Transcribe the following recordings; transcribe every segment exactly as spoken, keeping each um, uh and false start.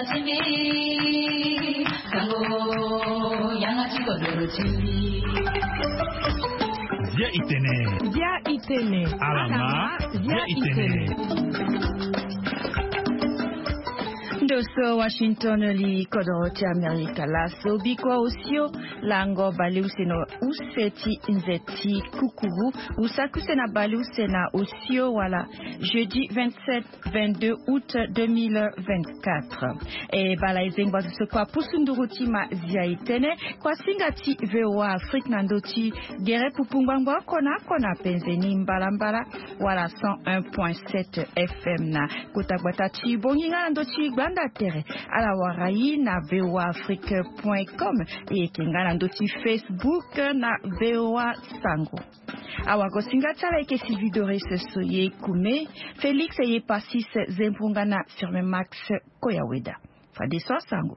Zia itene. Zia itene. Alama. Zia itene. Ndo so Washington li kodoro ti Amerika laso bikua osio lango baleuse na use ti nze ti kukuru. Usaki use na baleuse na osio wala jeudi vingt-sept vingt-deux août deux mille vingt-quatre. E bala e zengba zo so kua pusu nduru ti ma zia itene kua singa ti VOA Afrique na ndo ti gere pupu ngbangbo oko na oko na penze ni mbalambala wala cent un point sept F M na kota gbata ti bongi nga na ndo ti gbanda tere. Ala wara i na VOA Afrique point com. E yeke nga na ndo ti Facebook na VOA Sango. Awagosinga ti ala eke Sylvie Doris Soye Kume, Félix Eyepasis Zembrunga na Firme Max Koyaweda. Fadeso asango.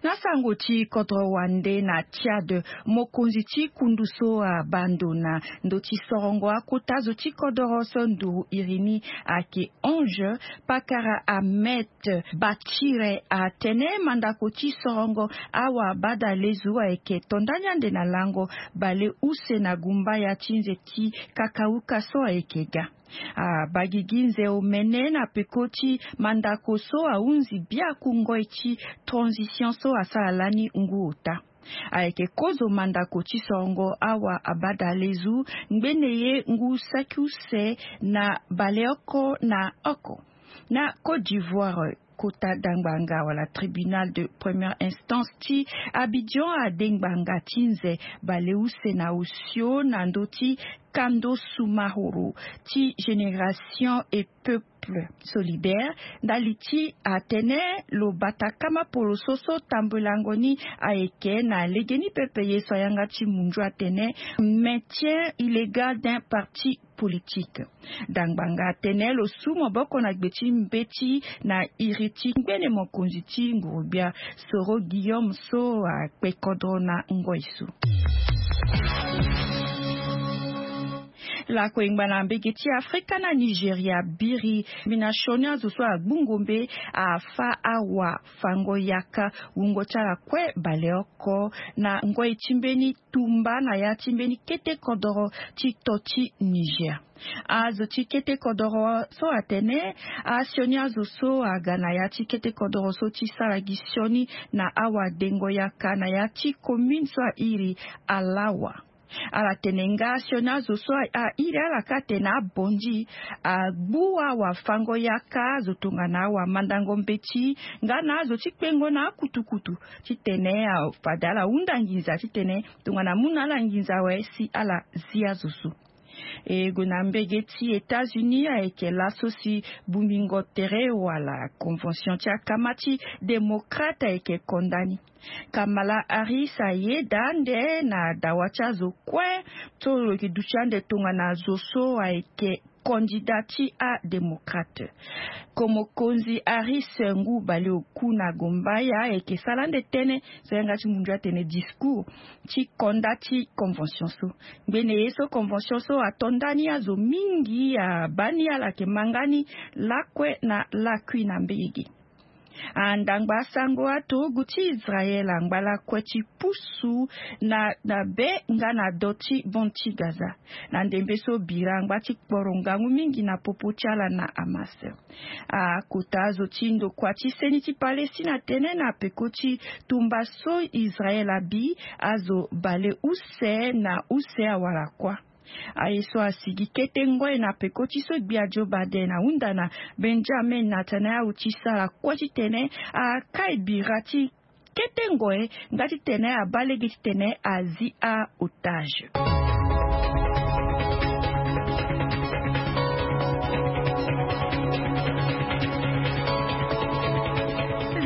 Na sango ti kodro wande na Tchad, mokonzi ti kundu so abando na ndo ti sorongo akota zo ti kodoro so nduru iri ni ake onze, Pakara Ahmed Bachire atene mandako ti sorongo awa bada lezu ayeke to ndani ande na lango bale use na gumbaya ti nze ti kakauka so ayeke ga. Abagigi nze omene na peko ti mandako so ahunzi biaku ngoi ti transition so asara lani ngu ota. Ayeke kozo mandako ti sorongo awa abada lezu ngbene ye ngu saki use na baleoko na oko. Na Côte d'Ivoire, kota dangbanga wala tribunal de première instance ti Abidjan ade ngbanga ti nze baleuse na osio na ndo ti kando sumahoro ti Génération et Peuple Solidaire ndali ti atene lo bata kama poloso so tambolango ni ayeke na legeni pepe ye so ayanga ti mundu atene maintien illégal d'un parti politique. Dangbanga atene lo su maboko na gbe ti mbeti na iri ti ngbene mokonzi ti ngurugbia Soro Guillaume so akpe kodro na ngoi so. Lako engba na mbege ti Afrika na Nigeria biri mbi na sioni azo so agbu ngombe afa awa fango yaka wungo ti ala kue baleoko na ngoi ti mbeni tumba na ya ti mbeni kete kodoro ti to ti Niger. Azo ti kete kodoro so atene asioni azo so aga na ya ti kete kodoro so ti sara gi sioni na awadengo yaka na ya ti commune so airi Alawa. Ala tene nga asioni azo so airi ala ka atene abonzi agbu awafango yaka azo tongana awamandango mbeti nga na azo ti kpengo na akutukutu titene fade ala hunda nginza titene tongana amu na ala nginza awe si ala zi azo so. E gue na mbege ti États-Unis ayeke laso si bongbingo tere wala convention ti akama ti démocrate ayeke konda ni. Kamala Harris ayeda ande na dawa ti azo kue so lo yeke duti ande tongana azo so ayeke kandida ti adémocrate. Komokonzi Harris ngu baleoku na gombaya ayeke sara ande tënë so yanga ti mundu atene discours ti konda ti convention so. Ngbene ye so convention so ato ndani azo mingi abaa ni ala yeke ma nga ni lakue na lakui na mbege ge. Andangba asango aturugu ti Israel angba lakue ti pusu na na be nga na do ti bande ti Gaza na ndembe so bira angba ti kporo ngangu mingi na popo ti ala na Hamas. Akota azo ti ndokua ti seni ti Palestine atene na peko ti tumba so Israel abi azo bale use na use awara kuâ. Aye so asigi kete ngoi na peko ti so gbia Joe Biden ahunda na Benjamin Netanyahu ti sara kue titene akai bira ti kete ngoi nga titene abaa lege titene azi aotage.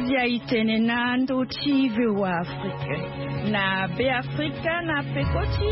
Zia itene na ndo ti VOA Afrique. Na Beafrika na peko ti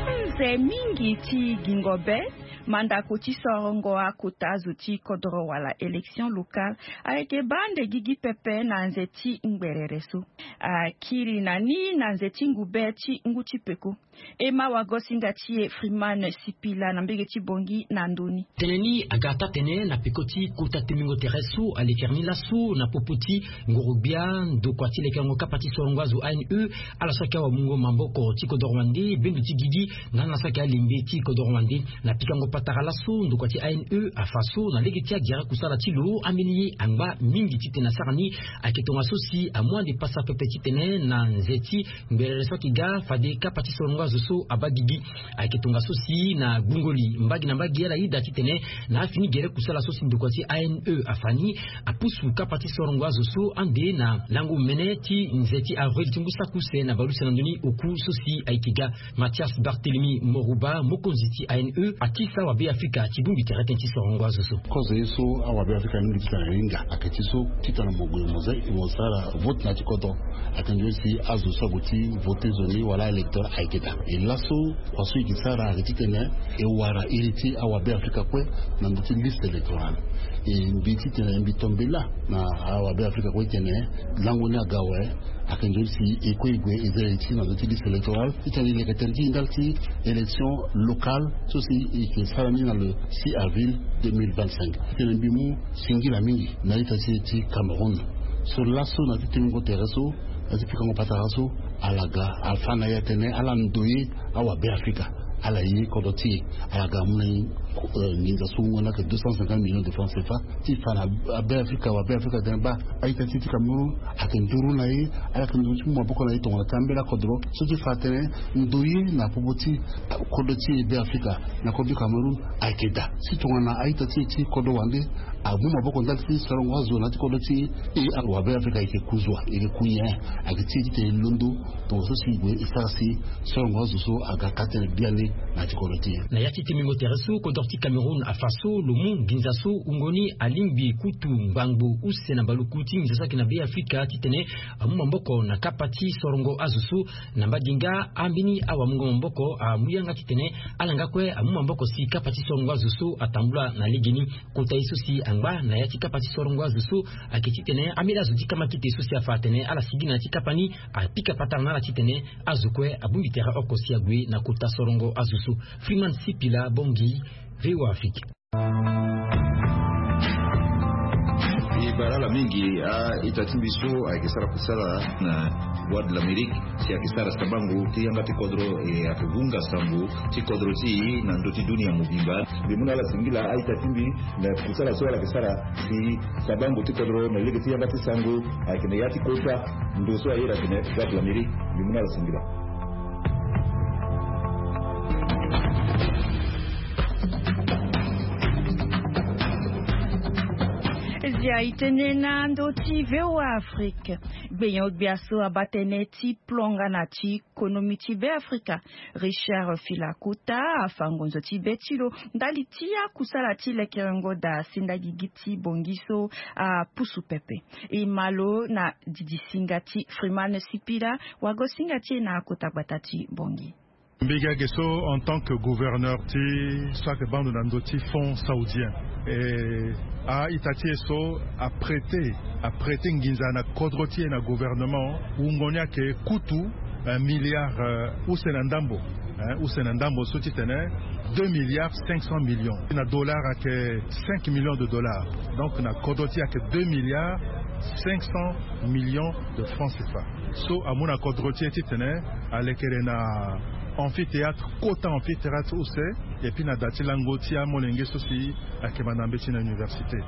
nze mingi ti gingo be mandako ti sorongo akota azo ti kodoro wala élection locale ayeke baa ande gigi pepe na nze ti ngberere so. Akiri na ni na nze ti ngu be ti ngu ti peko. E ma wagosinga ti e Freeman Sipila na mbege ti Bongi na ndoni. Tene ni aga taa-tene na peko ti kota temingo tere so alekere ni laso na popo ti ngorogbia ndokua ti lekerengo kapa ti sorongo azo A N E ala so ayeke awamungo maboko ti kodoro wande bendo ti gigi nga na so ayeke alembe ti kodoro wande. Na pikango patara laso ndokua ti A N E afa so na lege ti agere kusala ti lo ambeni ye angba mingi titene asara ni. Ayeke tongaso si amu ande pasa pepe titene na nze ti ngberere so ayeke ga fade kapa ti sorongo azo so abaa gigi. Ayeke tongaso si na gbungo li mbage na mbage ala yeda titene na afini gere kusala so si ndokua ti A N E afa ni apusu kapa ti sorongo azo so ande na lango mene ti nze ti avril ti ngu saki use na baleuse na ndoni oku so si ayeke ga. Mathias Barthélemy Morouba, mokonzi ti A N E, atisa wabe Afrika ti bongbi tere tënë ti sorongo azo so. Kozo ye so awabe Afrika mingi titene ahinga ayeke ti so titene mo gue mo za mo sara vote na ya ti kodro. Ayeke nzoni si azo so ague ti vote nzoni wala électeur ayeke daa. E laso kua so e yeke sara ayeke titene e wara iri ti awabe Afrika kue na ndö ti liste électorale. E mbi titene mbi to mbela na awabe Afrika kue titene lango ni aga awe. Ayeke nzoni si e kue e gue e zia iri ti e na ndö ti liste électorale titene e leke tënë ti e ndali ti élection locale so si e yeke sara ni na le six avril deux mille vingt-cinq. Titene mbi mu singila mingi na ita ti e ti Cameroun so laso na ya ti tengo tere so na ya ti pikango patara so ala ga afa na e atene ala ndoye awabe Afrika ala ye kodro ti e. Ala ga amu na e nginza so wungo ni ayeke deux cent cinquante millions de francs C F A ti fa na abe Afrika awabe Afrika tene baa a-ita ti e ti Cameroun ayeke nduru na e. Ala yeke nduru ti mu maboko na e tongana ti ambeni akodro so ti fa atene ndoye na popo ti kodro ti e be Afrika na kodro ti Cameroun ayeke daa. Si tongana a-ita ti e ti kodro wande amu maboko ndali ti sorongo azo na ya ti kodro ti e, e awabe Afrika e yeke ku zua e yeke ku nyen? Ayeke ti e titene e londo tongaso si e gue e sara si sorongo azo so aga ka tënë biani na ya ti kodro ti e. Na ya ti temingo tere so kodro ti Cameroun afa so lo mu nginza so wungo ni alingbi kutu ngbangbo use na mbaluku ti nginza so ayeke na be Afrika titene amu maboko na kapa ti sorongo azo so. Na mbage nga ambeni awamungo maboko amu yanga titene ala nga kue amu maboko si kapa ti sorongo azo so atambula na legeni. Kota ye so si angba na ya ti kapa ti sorongo azo so ayeke titene ambeni azo ti kamakite so si afa atene ala sigi na ya ti kapa ni apika patara na ala titene azo kue abongbi tere oko si ague na kota sorongo azo so. Freeman Sipila, Bongi, V O A Afrique. E bara ala mingi a-ita ti mbi so ayeke sara kusala na Voix de l'Amérique si ayeke sara sabango ti yanga ti kodro e ayeke vunga sango ti kodro ti e na ndö ti dunia mobimba. Mbi mu na ala singila a-ita ti mbi na kusala so ala yeke sara si sabango ti kodro na lege ti yanga ti sango ayeke na ya ti kota ndo so aye na tene Voix de l'Amérique. Mbi mu na ala singila. Zia e tene na ndö ti V O A Afrique. Gbenyo-gbia so abaa tënë ti plonga na ti konomi ti Be Afrika, Richard Filakota, afa ngonzo ti be ti lo ndali ti akusala ti lekerengo daa senda gigi ti Bongi so apusu pepe. E ma lo na didisinga ti Freeman Sipila, wagosinga ti e na kota gbata ti Bongi. Mbi ga ge so en tant que gouverneur ti so ayeke baa ndo na ndö ti fonds saoudien. E a-ita ti e so aprêter aprêter nginza na kodro ti e na gouvernement wungo ni ayeke kutu un milliard use na ndambo. Use na ndambo so titene deux milliards cinq cents millions na dollars ayeke cinq millions de dollars. Donc na kodro ti e ayeke deux milliards cinq cents millions de francs C F A so amu na kodro ti e titene alekere na amphithéâtre, kota amphithéâtre use. Et puis na da ti lango ti amolenge so si ayeke manda mbeti na université.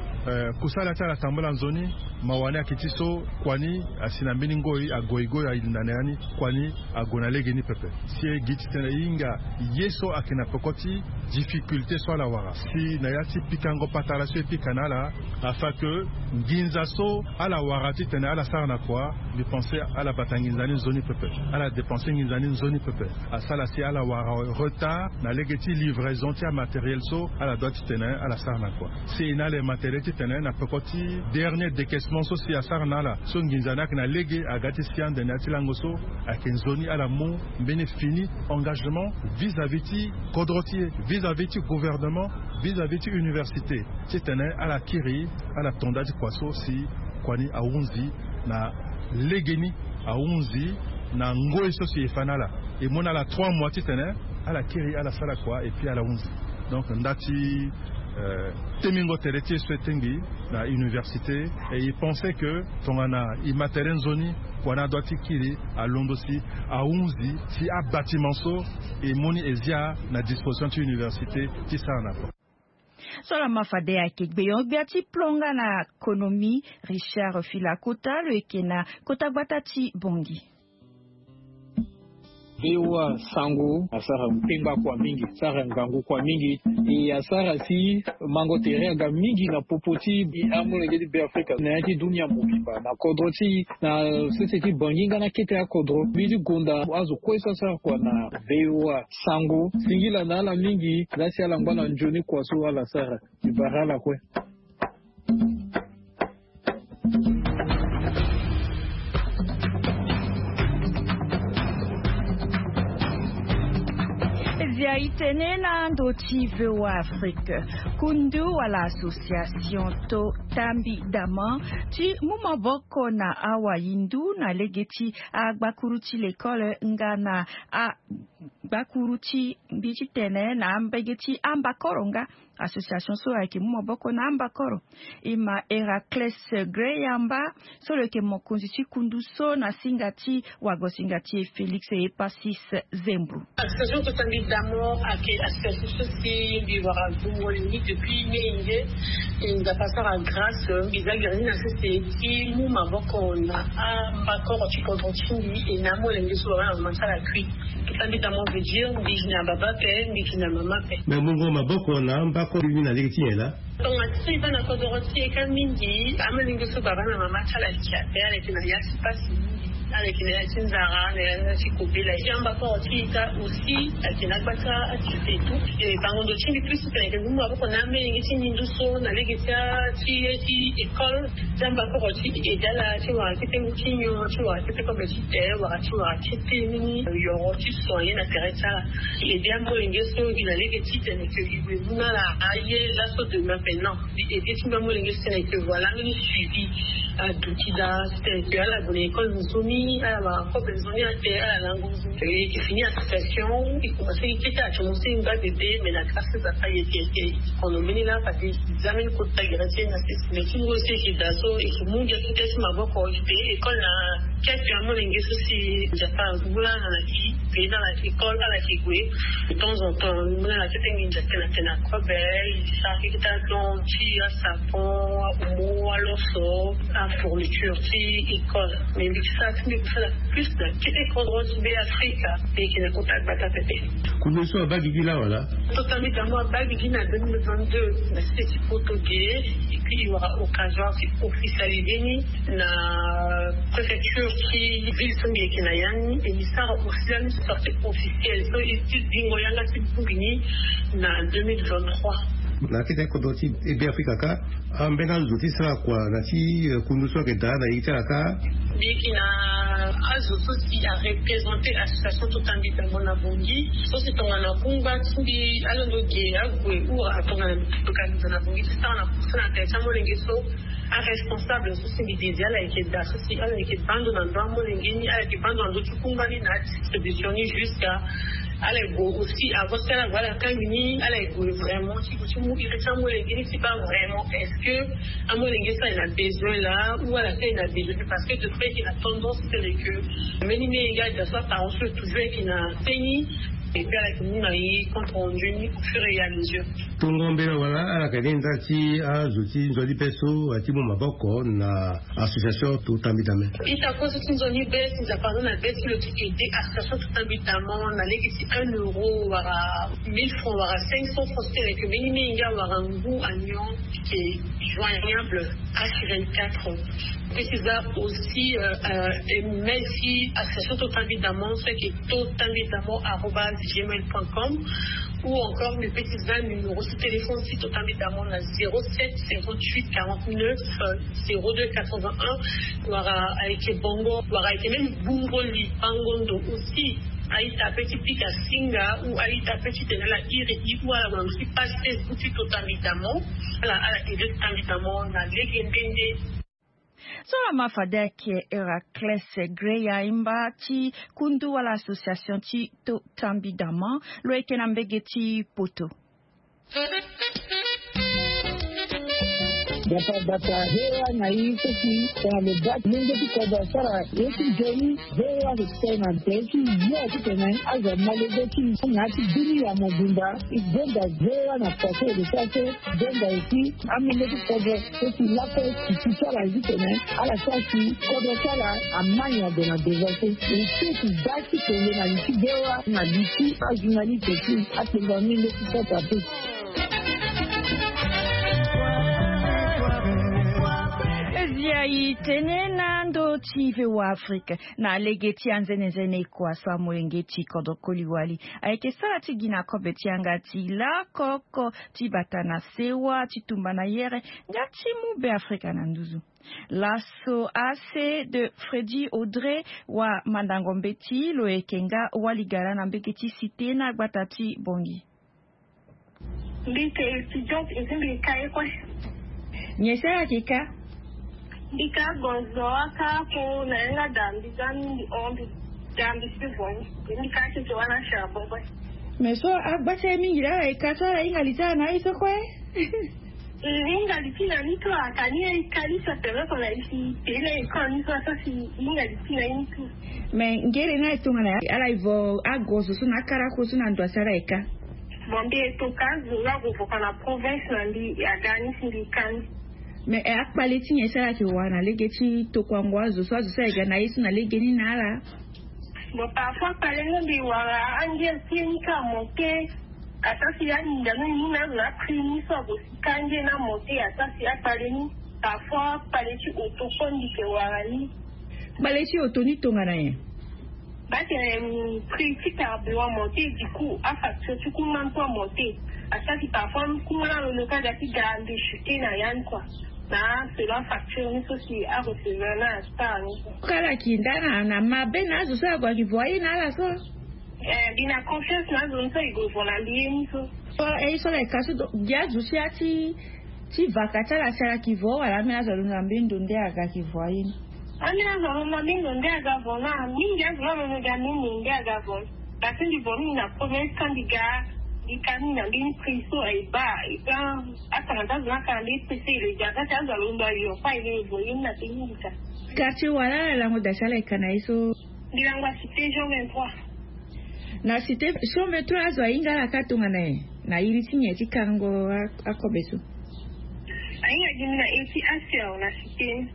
Kusala ti ala tambula nzoni. Mawa ni ayeke ti so kua ni asi na mbeni ngoi agoigoi alinda na ya ni. Kua ni ague na legeni pepe. Si e gi titene e hinga ye so ayeke na peko ti difficulté so ala wara si na ya ti pikango patara so e pika na ala afin que nginza so ala wara titene ala sara na kua. Mbi pense ala bata nginza ni nzoni pepe. Ala dépenser nginza ni nzoni pepe. Asara si ala wara retard na lege ti livraison ti amatériel so ala doit titene ala sara na kua. Si e na ala e matériel titene na peko ti dernier décaissement so si asara na ala so nginza ni ayeke na lege aga ti si ande na ya ti lango so ayeke nzoni ala mu mbeni fini engagement vis-à-vis ti kodro ti e, vis-à-vis ti gouvernement, vis-à-vis ti université titene ala kiri ala to nda ti kua so si kua ni ahunzi na legeni, ahunzi na ngoi so si e fa na ala. E moni ala trois mois titene ala kiri ala sara kua et puis ala hunzi. Donc nda ti temingo tere ti e so e tengbi na université, et il pensait que tongana e ma tere nzoni kua na adua ti kiri alondo si ahunzi si abâtiment so e moni e zia na disposition ti université ti sara na kua. So lama fade ayeke gbeon-gbia ti plan nga na konomi, Richard Filakota lo yeke na kota gbata ti Bongi. Bewa sango asara mpengba kua mingi, asara ngangu kua mingi. E asara si mango tere aga mingi na popo ti amolenge ti Beafrika na ya ti dunia mobimba na kodro ti na sese ti Bangi nga na kete akodro mbi ti gonda azo kue so asara kua na bewa sango singila na ala mingi. Laa si ala ngba na nzoni kua so ala sara. Mbi bara ala kue. Zia itene na ndo ti V O A Afrique. Kundu wala association to tambi dama ti mu maboko na awahindu na lege ti agbakuru ti lekole nga na agbakuru ti mbi ti tene na mbege ti ambakoro nga association so ayeke mu maboko na ambakoro. E ma Héraclès Greyamba so lo yeke mokonzi ti kundu so na singa ti wagosinga ti e Félix Epasis Zembro. Association so tambi damo ayeke association so si mbi wara zongoli ni depuis menge. E nzapa asara grâce mbi za gere ni na sese ti mu maboko na ambakoro ti kodro ti mbi e na amolenge so wara na mama ti ala kui. Totambitamo veut dire mbi gi na baba ape, mbi gi na mama ape. Me mungo maboko na ambakoro ni na lege ti nyen laa? Tonga ti so e baa na kodoro ti e ka mingi amolenge so baba na mama ti ala ayeke ape, ala yeke na ya ti pasi mingi. Ala yeke na ya ti nzara, na ya ti kobela. E ambakoro ti e ka aussi ayeke na agba ti atupe et tout. E bango ndo ti mbi plus tene ayeke mu maboko na amolenge ti ngindu so na lege ti ti école. Ti ambakoro ti e aide ala ti wara kete ngu ti nyon, ti wara kete kobe ti te, wara ti wara kete mini yoro ti soigner na tere ti ala. E aide amolenge so gi na lege titene ke e gue mu na ala aye laso demain pe non. E aide ti mbi amolenge so titene ke voilà mbeni suivi aduti daa titene ke ala gue na école nzoni, ala wara kobe nzoni ate, ala lango nzoni. E yeke fini association e commence gi kete ate mo so e ngba bebe mais na grâce ti Nzapa e yeke yeke kono mbeni laa fade. Za mbeni kota gere ti e na sese mais ti ngu so e yeke daa so e yeke mu ngia kete ti maboko e pe école na kete amolenge so si Nzapa azu mu laa na na ki. Pe na ala yeke école ala yeke gue de temps en temps mu na ala kete nginza tena tena kobe. E sara kete adon ti asapon, aomo, aloso, afourniture ti école. Mais mbi ti sara ti mbi kusala plus na kete kodro ti Beafrika. Mbi yeke na kota gbata pepe. Kundu so abaa gigi laa wala? Totambitamo abaa gigi na deux mille vingt-deux na site ti poto ge. Et puis e wara occasion si officialisé ni na préfecture ti ville so mbi yeke na ya ni. Et mbi sara aussi lani sortie officielle so e ti zingo yanga ti bongbi ni na deux mille vingt-trois. Na kete kodro ti Beafrika ka. Ambeni azo ti sara kua na ti kundu so ayeke daa na ye ti ala ka? Mbi yeke na azo so si areprésente association totambitamo na Bongi so si tongana kungba ti mbi alondo ge ague ou atongana mbi ti toka nginza na Bongi ti sara na kusala na tere ti amolenge so. Aresponsable so si mbi désire ala yeke daa so si ala yeke baa ndo na ndö amolenge ni, ala yeke baa ndo na ndö ti kungba ni na adistribution ni jusqu'à ala ye gue aussi avant si ala gue ala kangbi ni ala ye gue vraiment ti gue ti mu iri ti amolenge ni ti baa vraiment est-ce que amolenge so aye na besoin laa ou ala so aye na besoin te parce que de fait ayeke na tendance tene ke mbeni menge ade so apparence so toujours ayeke na se ni. Et puis ala yeke mu na ye compte rendu ni au fur et à mesure. Tongo mbela wala ala yeke ni nda ti azo ti nzoni be so aye ti mu maboko na association totambitamo. Ita kue so ti nzoni be si nzapa aza na be ti lo ti aide association totambitamo na lege ti un euro wala mille francs wala cinq cents francs titene ke mbeni menge awara ngu anyon ke joignable. H vingt-quatre. Pe ti za aussi euh, euh, email ti association totambitamo so ayeke totambitamo arobase gmail point com. Ou encore mbi pe ti za numéro ti téléphone ti totambitamo na zéro sept cinquante-huit quarante-neuf zéro deux quatre-vingt-un. Wala ayeke bongo wala ayeke même bongo li bango ndo aussi. Aita pe ti pika singa ou aita pe ti tene ala iri i ou ala gue na ndo ti page Facebook ti totambitamo. Ala ala aide totambitamo na lege nde nde. So ama fade ayeke Heracles Greya, e mba ti kundu wala association ti to tambi dama, lo yeke na mbege ti poto. Bata bata hewa na i soki tongana lo baa ti lenge ti kodro asara ye ti nzoni. Hewa lo tene na nze ti yo titene azo amolenge ti na ti bini ya mobimba. E gonda hewa na pase lo sara so. Gonda eti amolenge ti kodro so si lako si si ti ala titene ala sara si kodro ti ala amai na ndo na devance. E so si baa ti kende na li ti hewa na li ti ajournaliste ti akpengba amolenge ti kodro ape. Ezia i tene na ndo ti V O A Afrique na lege ti anzenenzene kua so amolenge ti kodro koli wali ayeke sara ti gi na kobe ti yanga ti lakoko ti bata na sewa ti tumba na yere nga ti mu Be Afrika na nduzu. Laso A C de Freddy Audrey wa mandango mbeti lo yeke nga waligara na mbege ti Cité na gbata ti Bongi. Mbi yeke étudiante et puis mbi yeke ka ye kue. Nyen sara ayeke ka? Mbi ka gonzo aka apo na yanga da mbi za mingi hon mbi da mbi si vo ni. Mbi ka akeke wala charbon kue. Mais so agba ti aye mingi laa ala yeke ka so ala hinga li ti ala na aye so kue. E hinga li ti na ni so aka ni aye ka ni so aperoko na ye si tene na école ni so asa si hinga li ti na ye ni so. Mais ngere ni aye tongana ala e vo agonzo so na akarako so na ndo asi ala yeke ka. Bon mbi e to ka azo nga vo voka na province na mbi aga ni si mbi ka ni. Mais e akpale ti nyen si ala yeke wara na lege ti tokuango azo so azo so ayeke ga na ye so na lege ni na ala? Bon parfois akpale ni mbi wara angel ti ye ni ka amonte. Ata si aninga ni ni na azo na prix ni so ago si ka angel ni amonte ata si akpale ni. Parfois akpale ti auto kue mbi yeke wara ni. Kpale ti auto ni tongana nyen? Ba tene prix ti carburant amonte du coup afacture ti kuma ni kue amonte. Asara si parfois kuma ni alondo ka ga ti ga mbi chuter na ya ni kua. Na selon afacture ni so si arecevoir na asara ni. Kala ki nda na na mabe na azo so ague ayeke vo aye na ala so. Eh mbi na confiance na azo ni so e gue vo na mbi ye ni so. So e so ala yeke ka so donc gi azo si ati ti vaka ti ala si ala yeke vo wala ambeni azo alondo na mbeni ndo nde aga ayeke vo aye ni? Ambeni azo alondo na mbeni ndo nde aga vo na mingi azo la alondo ga mbeni ndo nde aga vo. Parce que mbi vo mingi na province quand mbi ga mbi ka mingi na mbeni prix so aye baa. Et puis atanga ti azo ni aka na mbeni prix so e le ga ka ti azo alondo ayo kue aye le vo ye ni na pe mingi ka. Quartier wala ala lango da si ala yeke ka na ye so? Mbi lango a cité jean vingt-trois. Na cité jean vingt-trois azo ahinga ala ka tongana nyen? Na iri ti nyen ti kango akobe so? Ahinga gi mbi na iri ti aser na cité ni.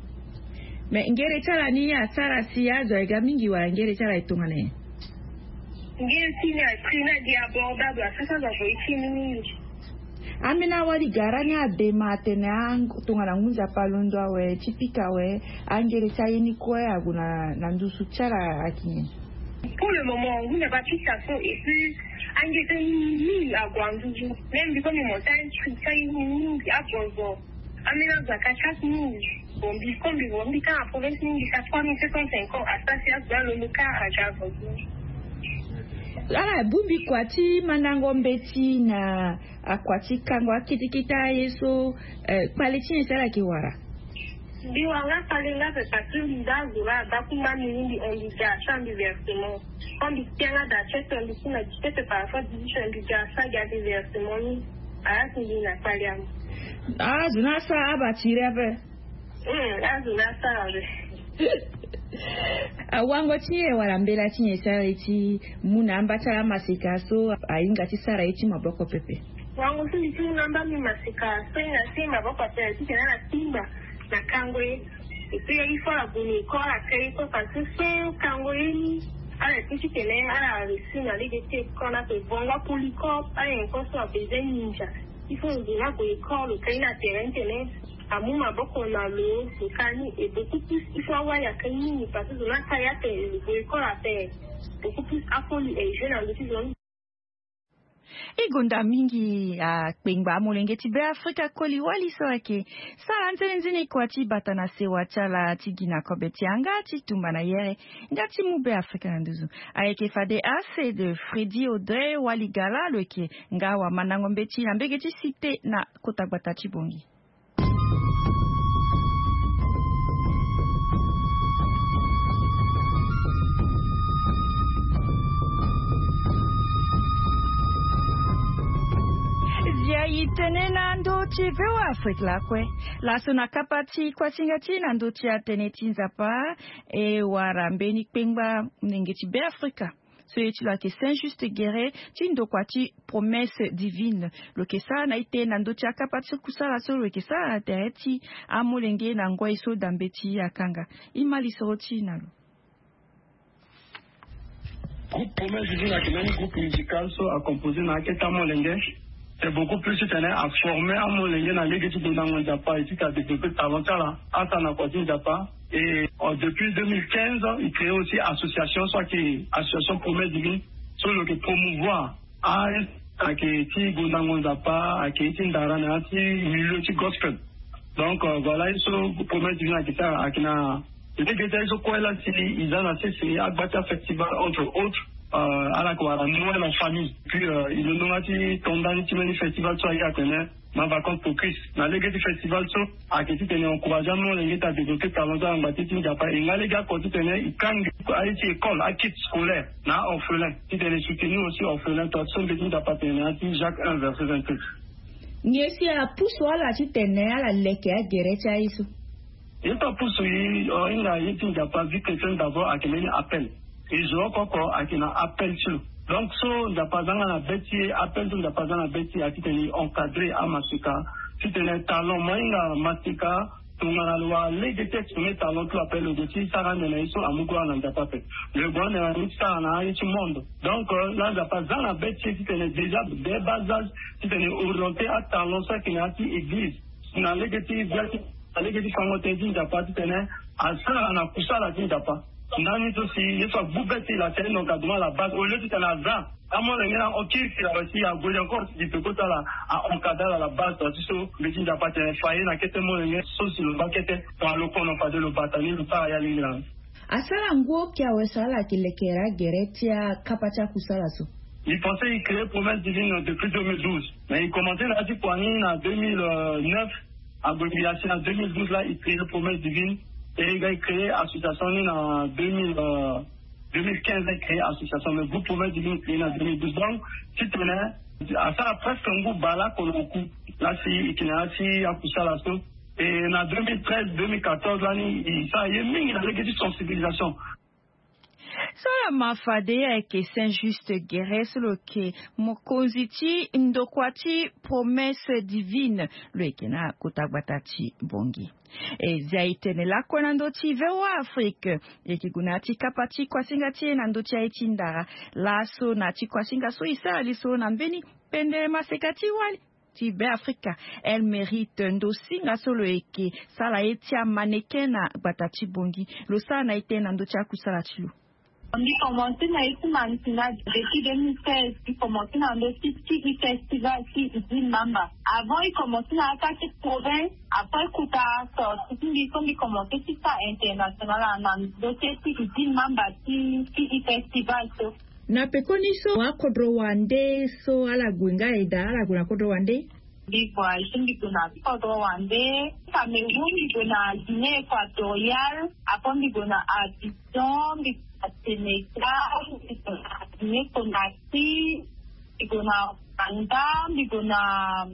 Mais ngere ti ala ni asara si azo aye ga mingi wala ngere ti ala e tongana nyen? Ngere ti ni a prix ni agi abordable asara si azo avo ye ti ni mingi. Ambeni awali gara ni adema atene tongana ngunza pe alondo awe ti pika awe. Angere ti aye ni kue ague na ndusu ti ala ayeke nyen? Pour le moment ngunza pe apika so et puis angere ti aye ni mingi ague na ndusu. Même mbi kue mbi monte aye ni prix ti aye ni mingi agonzo. Ambeni azo aka ti aye ni mingi. Bon mbi kue mbi vo mbi ka na province ni mbi ka trois mille sept cent cinquante asara si azo alondo ka aga agonzo. Ala bongbi kua ti mandango mbeti na akua ti kango akete kete aye so. Kpale ti nyen si ala yeke wara? Mbi wara nga kpale nga ape parce que mbi za azo la ada kuma mbi ni mbi hon mbi ga asara mbi versement. Quand mbi tia nga da ti aye so mbi si na dix-sept par rapport dix-huit mbi ga asara ga mbi versement ni. Ala si mbi na kpale amu. Azo ni asara abatiri ape. Azo ni asara ape. Awango ti nyen wala mbela ti nyen si ala ye ti mu na amba ti ala amaseka so ahinga ti sara ye ti maboko pepe? Wango so mbi ti mu na amba mbi maseka so ahinga ti maboko ape titene ala timba na kango ye. Et puis il faut ala gue na école ala ka ye kue parce que so kango ye ni ala ye ti titene ala réussir na lege ti école ape. Bongo apolycope ala nyen kue so abezoin ninja. Il faut nzoni ague école lo ka ye na terrain titene amu maboko na lo lo ka ni. Et beaucoup plus il faut awali aka ye mingi parce que zo ni aka ye ape lo gue école ape. Beaucoup plus akoli e jeu na ndo ti zo ni. E gonda mingi akpengba amolenge ti Be Afrika koli wali so ayeke sara nzene nzene kua ti bata na sewa ti ala ti gi na kobe ti yanga ti tumba na yere nga ti mu Be Afrika na nduzu. Ayeke fade ase de Freddy Audrey Waligala lo yeke nga wamandango mbeti na mbege ti Cité na kota gbata ti Bongi. I tene na ndö ti voa afrique lakue. Laso na kapa ti kuasinga ti e na ndö ti atene ti nzapa, e wara mbeni kpengba molenge ti beafrika, so ye ti lo ayeke saint juste guerre, ti ndokua ti promesse divine, lo yeke sara na ite na ndö ti akapa ti kusala so lo yeke sara na tere ti amolenge na ngoi so dambe ti akanga. I ma lisoro ti e na lo. Groupe promesse divine ayeke mbeni groupe musical so acomposé na akete amolenge. C'est beaucoup plus ti tene aforme amolenge na lege ti bondango nzapa et ti ka développer talent ti ala, asa na kua ti nzapa. Et depuis deux mille quinze, il crée aussi association so ayeke association promesse divine, so lo yeke promouvoir a ayeke ti bondango nzapa, ayeke ti ndara na ya ti milieu ti gospel. Donc voilà ye so promesse divine ayeke ti ala ayeke na lege ti aye so kue la si e za na sese agba ti afestival entre autres, ala yeke wara noël en famille. Puis e londo nga ti to ndani ti mbeni festival so aye atene ma vacance pour christ. Na lege ti festival so ayeke titene encourage amolenge ti adévelopper talent ti ala na ngba ti ti nzapa e nga lege ako titene e kange aye ti école akit scolaire na aorphelin, titene e soutenir aussi orphelin to so mbe ti nzapa atene na ya ti jacques un verset vingt-huit. Nyen si apusu ala titene ala leke agere ti aye so? Ye so apusu e, hinga ye ti nzapa vie chrétienne d'abord ayeke mbeni appel. E zo oko oko ayeke na appel ti lo. Donc so nzapa aza nga na be ti e, appel so nzapa aza na be ti e ayeke titene e encadrer amasika, titene talent mo ahinga masika tongana lo wara lege ti exprimer talent ti lo ape lo gue ti sara ande na ye so amu gora na nzapa ape. Lo gue ande na ye ti sara na aye ti monde. Donc la nzapa aza na be ti e titene déjà dès bas âge titene e orienter atalent so ayeke na ya ti église na lege ti via ti na lege ti fango tënë ti nzapa titene asara na kusala ti nzapa. Ndani so si ye so agbu be ti e la si aye donc aduma la base au lieu titene aza amolenge na okiri si la si ague encore si di peko ti ala a encadre ala la base to ti so mbe ti nzapa atene fa ye na kete molenge so si lo baa kete. Tongana lo kono fade lo bata ni lo sara ya lingila. Asara ngu oki awe so ala yeke lekere agere ti akapa ti akusala so? I pense i crée promesse divine depuis deux mille douze mais i commence na ya ti kua ni na deux mille neuf. Ague mbi asi na deux mille douze la i crée promesse divine. E i ga i crée association ni na deux mille deux mille quinze i crée association mais groupe promesse divine i crée na deux mille douze donc titene asara presque ngu baleoko na oku. La si i ke na ya ti akusala so. E na deux mille treize deux mille quatorze lani i sara ye mingi na lege ti sensibilisation. So ala ma fade ayeke saint juste guerre so lo yeke mokonzi ti ndokua ti promesse divine, lo yeke na kota gbata ti bongi. E zia e tene lakue na ndö ti voa afrique. E yeke gue na ya ti kapa ti kuasinga ti e na ndö ti aye ti ndara. Laso na ya ti kuasinga so e sara lisoro na mbeni pendere maseka ti wali ti beafrika, elle mérite ndo singa so lo yeke sara ye ti amaneke na gbata ti bongi. Lo sara na ye tënë na ndö ti akusala ti lo. Mbi komanse na ye ti maneke na depuis deux mille seize. Mbi komanse na ndö ti ti i festival ti idi mamba. Avant i komanse na ata ti province, après kuta sorti ti mbi so mbi komanse ti sara international na ndö ti ti idi mamba ti ti i festival so. Na pekoni so akodro wande so ala gue nga eda ala gue na kodro wande? Mbi voyage mbi gue na kodro wande, cameroun mbi gue na guinée équatoriale, après mbi gue na abidjan mbi gue na sénégal, mbi gue na guinée conakry, mbi gue na rwanda, mbi gue na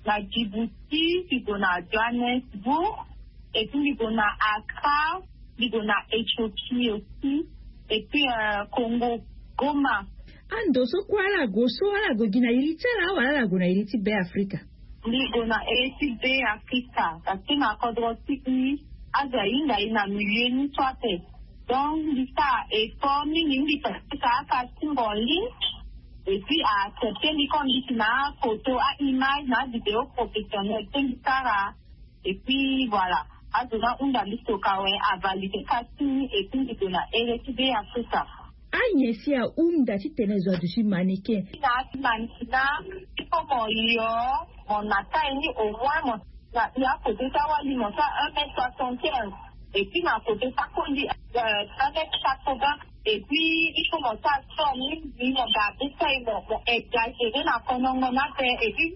na djibouti, mbi gue na johannesbourg, et puis mbi gue na accra, mbi gue na ethiopie aussi, et puis congo goma. Ando so kue ala gue so ala gue gi na iri ti ala wala ala gue na iri ti beafrika? Mbi gue na iri ti beafrika, parce que na kodro ti i azo ahinga i na milieu ni so ape. Donc mbi sara effort mingi mbi participaka ti mbongi. Et puis a accepter mbi comme mbi si na photo a image na vidéo professionnel ti mbi sara. Et puis voilà, azo na hunda mbi soka we avalide ka ti mbi et puis mbi gue na ere ti be ya sosa. Anyen si ahunda titene zo aduti maneke? Na ti maneke na ti komo yo mo na taille ni au moins mo na ya kote ti awali mo ti a un mètre soixante quinze. Et puis na kote ti akondi un mètre quatre vingt. Et puis il faut mo ti asport mingi mo garde taille mo mo exagere na konongo ni ape. Et puis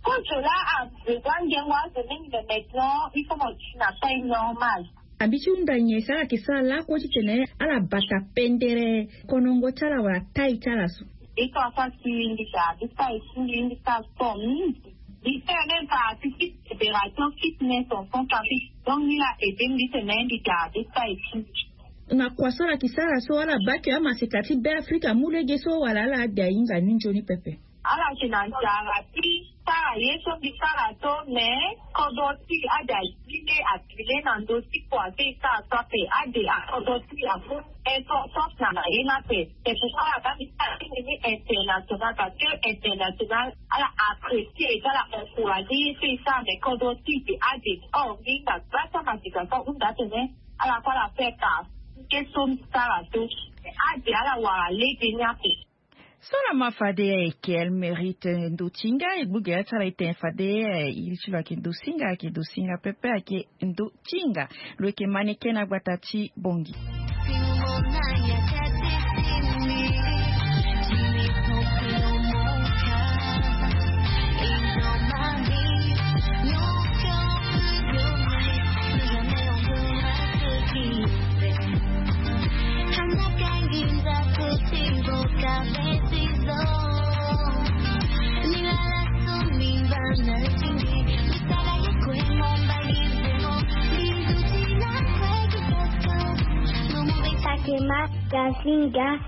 kozo la a besoin ngengo azo mingi mais maintenant il faut mo ti na taille normale. Abi ti hunda nyen si ala yeke sara lakue titene ala bata pendere konongo ti ala wala taille ti ala so? Iko afa si mbi ga abi taille ti mbi mbi sara sport mingi. Mbi sara même partie ti fédération fitness en centrafrique. Donc ni la ede mbi tene mbi ga be sa eti. Na kua so ala yeke sara so ala bake amaseka ti Beafrika amu lege so wala ala ade ahinga ni nzoni pepe? Ala yeke na nzara ti sara ye so mbi sara so, mais kodro ti ade azi nde atene na ndö ti kua so e sara so ape. Ade akodro ti amu importance na na ye ni ape. C'est pourquoi ala baa mbi sara ti nini international, parce que international ala apprécier et ala encourager ye so e sara. Mais kodro ti e ade, or mbi hinga gbata maseka so ahunda atene ala kue ala fait partie ti ye so mbi sara so. Ade ala wara lege ni ape. So na ma fade ayeke, elle mérite ndo ti hinga. E gbu gere ti ala e tene fade, eh, iri ti lo ayeke ndo ti hinga, ayeke ndo ti hinga pepe, ayeke ndo ti hinga. Lo yeke maneke na gbata ti Bongi. Takema Gasinga,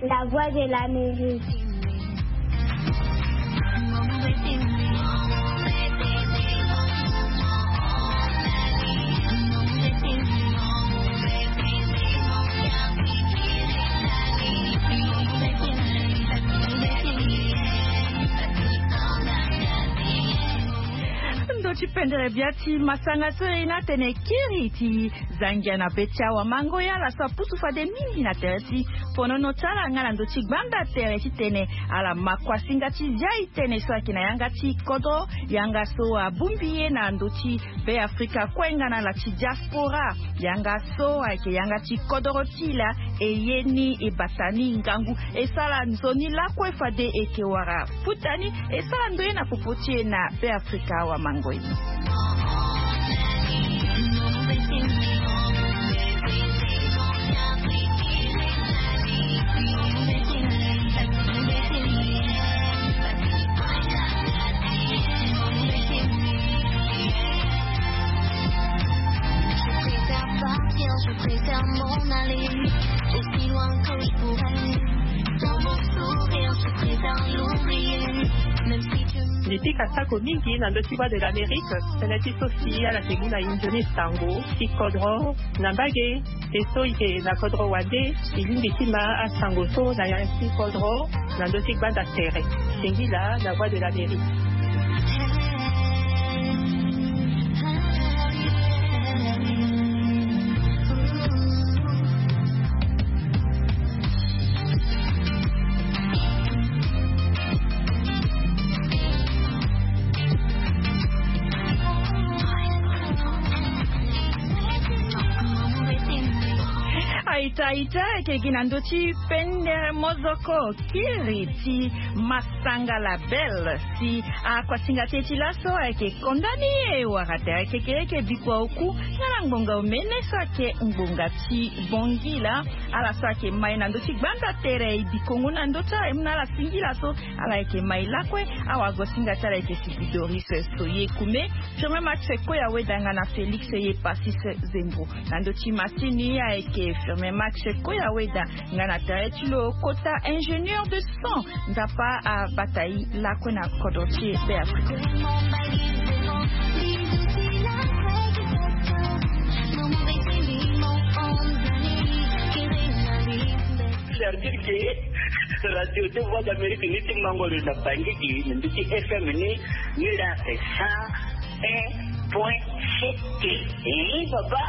la voix de l'Amérique. Ndo ti pendere bia ti masanga so e na tene kiri ti Zangia na be ti awamango, ya ala so apusu fade mingi na tere ti fonono ti ala nga na ndö ti gbanda tere titene ala ma kuasinga ti zia e tene so ayeke na yanga ti kodro, yanga so abongbi ye na ndö ti Beafrika kue nga na ala ti diaspora. Yanga so ayeke yanga ti kodro ti e laa, e ye ni e bata ni ngangu, e sara nzoni lakue fade e yeke wara futa ni, e sara ndoye na popo ti e na Beafrika awamango e. Mbi pika sako mingi na ndö ti Voix de l'Amérique, tënë ti so si ala yeke mu na e nzoni sango ti kodro na mbage. E so e yeke na kodro wande, e lingbi ti ma asango so na ya ti kodro na ndö ti gbanda tere. Singila na Voix de l'Amérique. Aita aita, ayeke gi na ndö ti pendere mozoko kiri ti masanga label. Si akuasinga ti e ti laso ayeke konda ni e wara tere kekereke bikua oku nga na ngbonga omene so ayeke ngbonga ti Bongila. Ala so ayeke ma e na ndö ti gbanda tere e bikongo na ndö ti ala e mu na ala singila so ala yeke ma e lakue. Awagosinga ti ala ayeke Sigi Doris Soye Kume, Firmin Max Koya Weda nga na Félix Ye Passis Zembo. Na ndö ti masini ayeke Firmin Max Koya Weda nga na tere ti lo kota ingénieur de son. Nzapa abata e lakue na kodro ti e Beafrika. C'est-à-dire que radio de Voix d'Amérique ni ti mango lo na Bangui gi na ndö ti F M ni, ni la c'est cent un point sept. Eh, papa.